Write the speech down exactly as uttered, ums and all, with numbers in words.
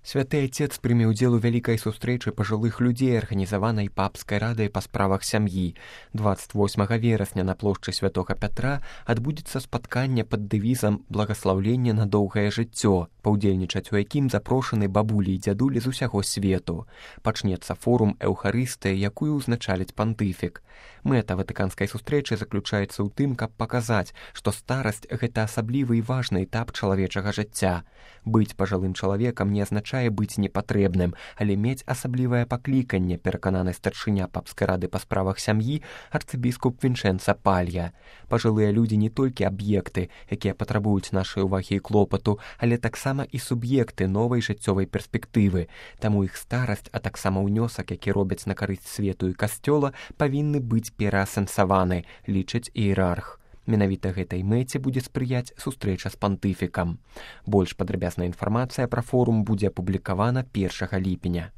Святы Отец прыме ўдзел у вялікай сустрэчы пажылых людзей, арганізаванай папскай радай па справах сям'і. дваццаць восьмага верасня на плошчы святога Пятра адбудзецца спатканне пад дэвізам «Благаслаўленне на доўгае жыццё», паўдзельнічаць у якім запрошаны бабулі і дзядулі з усяго свету. Пачнецца форум Эўхарыстыі, якую ўзначаліць пантыфік. Мэта ватыканскай сустрэчы заключаецца ў тым, каб паказаць, што старасць – гэта асаблівы і важны этап чалавечага жыцця. Быць пажылым чалавекам не азначае быць непатрэбным, але мець асаблівае пакліканне, перакананы старшыня папскай рады па справах сям'і арцыбіскуп Вінчэнца Палья. Пажылыя людзі не толькі аб'екты, якія патрабуюць нашай увагі і клопату, але таксама і суб'екты новай жыццёвай перспектывы. Таму іх старасць, а таксама ўнёсак, які робяць на карысць свету і касцёла, павінны быць пераасэнсаваны, лічыць іерарх. Менавіта гэтай мэце будзе спрыяць сустрэча з пантыфікам. Больш падрабязная інфармацыя пра форум будзе апублікавана першага ліпеня.